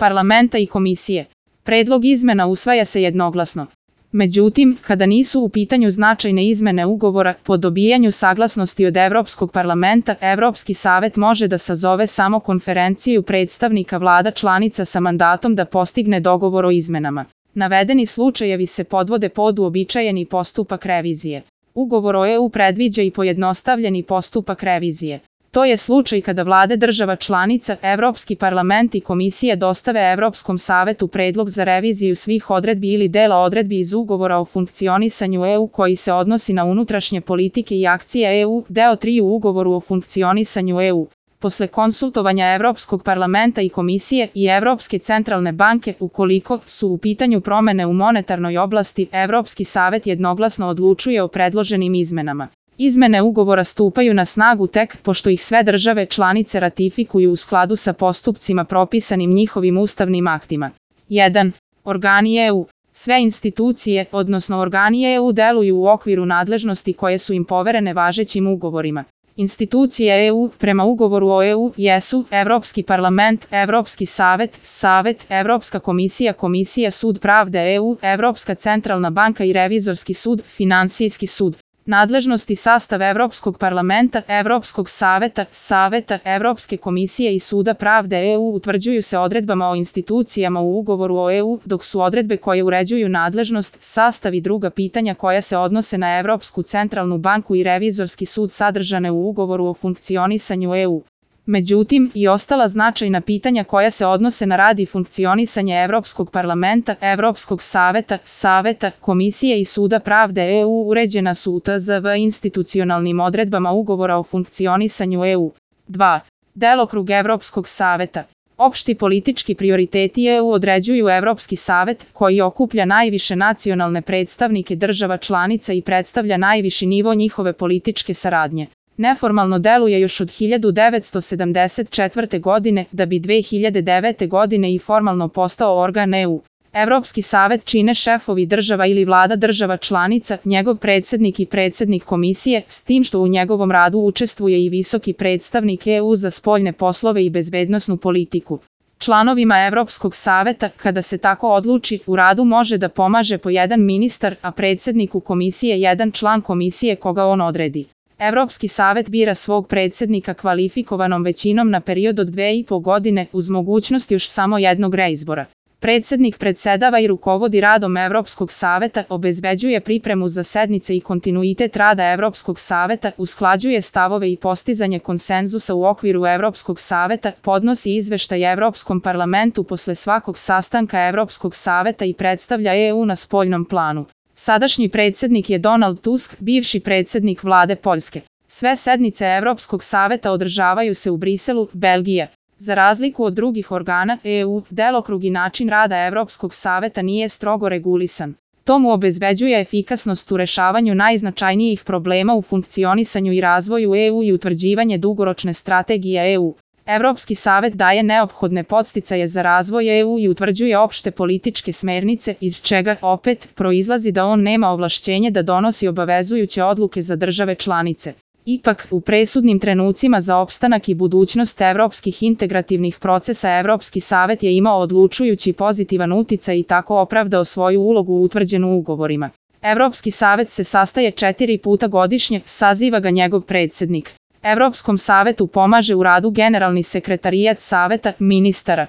parlamenta i komisije. Predlog izmena usvaja se jednoglasno. Međutim, kada nisu u pitanju značajne izmene ugovora, po dobijanju saglasnosti od Evropskog parlamenta, Evropski savet može da sazove samo konferenciju predstavnika vlada članica sa mandatom da postigne dogovor o izmenama. Navedeni slučajevi se podvode pod uobičajeni postupak revizije. Ugovor o EU predviđa i pojednostavljeni postupak revizije. To je slučaj kada vlade država članica, Evropski parlament i komisija dostave Evropskom savetu predlog za reviziju svih odredbi ili dela odredbi iz ugovora o funkcionisanju EU koji se odnosi na unutrašnje politike i akcije EU, deo 3 u ugovoru o funkcionisanju EU. Posle konsultovanja Evropskog parlamenta i komisije i Evropske centralne banke, ukoliko su u pitanju promene u monetarnoj oblasti, Evropski savet jednoglasno odlučuje o predloženim izmenama. Izmene ugovora stupaju na snagu tek pošto ih sve države članice ratifikuju u skladu sa postupcima propisanim njihovim ustavnim aktima. 1. Organi EU. Sve institucije, odnosno organi EU deluju u okviru nadležnosti koje su im poverene važećim ugovorima. Institucije EU prema ugovoru o EU jesu Evropski parlament, Evropski savet, Savet, Evropska komisija, Komisija Sud pravde EU, Evropska centralna banka i Revizorski sud, Finansijski sud. Nadležnosti sastav Evropskog parlamenta, Evropskog saveta, Saveta, Evropske komisije i Suda pravde EU utvrđuju se odredbama o institucijama u ugovoru o EU, dok su odredbe koje uređuju nadležnost, sastav i druga pitanja koja se odnose na Evropsku centralnu banku i Revizorski sud sadržane u ugovoru o funkcionisanju EU. Međutim, i ostala značajna pitanja koja se odnose na rad i funkcionisanje Evropskog parlamenta, Evropskog saveta, Saveta, Komisije i Suda pravde EU uređena su u TZV institucionalnim odredbama ugovora o funkcionisanju EU. 2. Delokrug Evropskog saveta. Opšti politički prioriteti EU određuju Evropski savet, koji okuplja najviše nacionalne predstavnike država članica i predstavlja najviši nivo njihove političke saradnje. Neformalno deluje još od 1974. godine, da bi 2009. godine i formalno postao organ EU. Evropski savet čine šefovi država ili vlada država članica, njegov predsednik i predsednik komisije, s tim što u njegovom radu učestvuje i visoki predstavnik EU za spoljne poslove i bezbednosnu politiku. Članovima Evropskog saveta, kada se tako odluči, u radu može da pomaže po jedan ministar, a predsedniku komisije jedan član komisije koga on odredi. Evropski savet bira svog predsednika kvalifikovanom većinom na period od 2,5 godine uz mogućnost još samo jednog reizbora. Predsednik predsedava i rukovodi radom Evropskog saveta, obezbeđuje pripremu za sednice i kontinuitet rada Evropskog saveta, usklađuje stavove i postizanje konsenzusa u okviru Evropskog saveta, podnosi izveštaj Evropskom parlamentu posle svakog sastanka Evropskog saveta i predstavlja EU na spoljnom planu. Sadašnji predsednik je Donald Tusk, bivši predsednik vlade Poljske. Sve sednice Evropskog saveta održavaju se u Briselu, Belgija. Za razliku od drugih organa EU, delokrug i način rada Evropskog saveta nije strogo regulisan. To mu obezbeđuje efikasnost u rešavanju najznačajnijih problema u funkcionisanju i razvoju EU i utvrđivanje dugoročne strategije EU. Evropski savet daje neophodne podsticaje za razvoj EU i utvrđuje opšte političke smernice, iz čega, opet, proizlazi da on nema ovlašćenje da donosi obavezujuće odluke za države članice. Ipak, u presudnim trenucima za opstanak i budućnost evropskih integrativnih procesa Evropski savet je imao odlučujući pozitivan uticaj i tako opravdao svoju ulogu utvrđenu ugovorima. Evropski savet se sastaje 4 puta godišnje, saziva ga njegov predsednik. Evropskom savetu pomaže u radu generalni sekretarijat saveta ministara.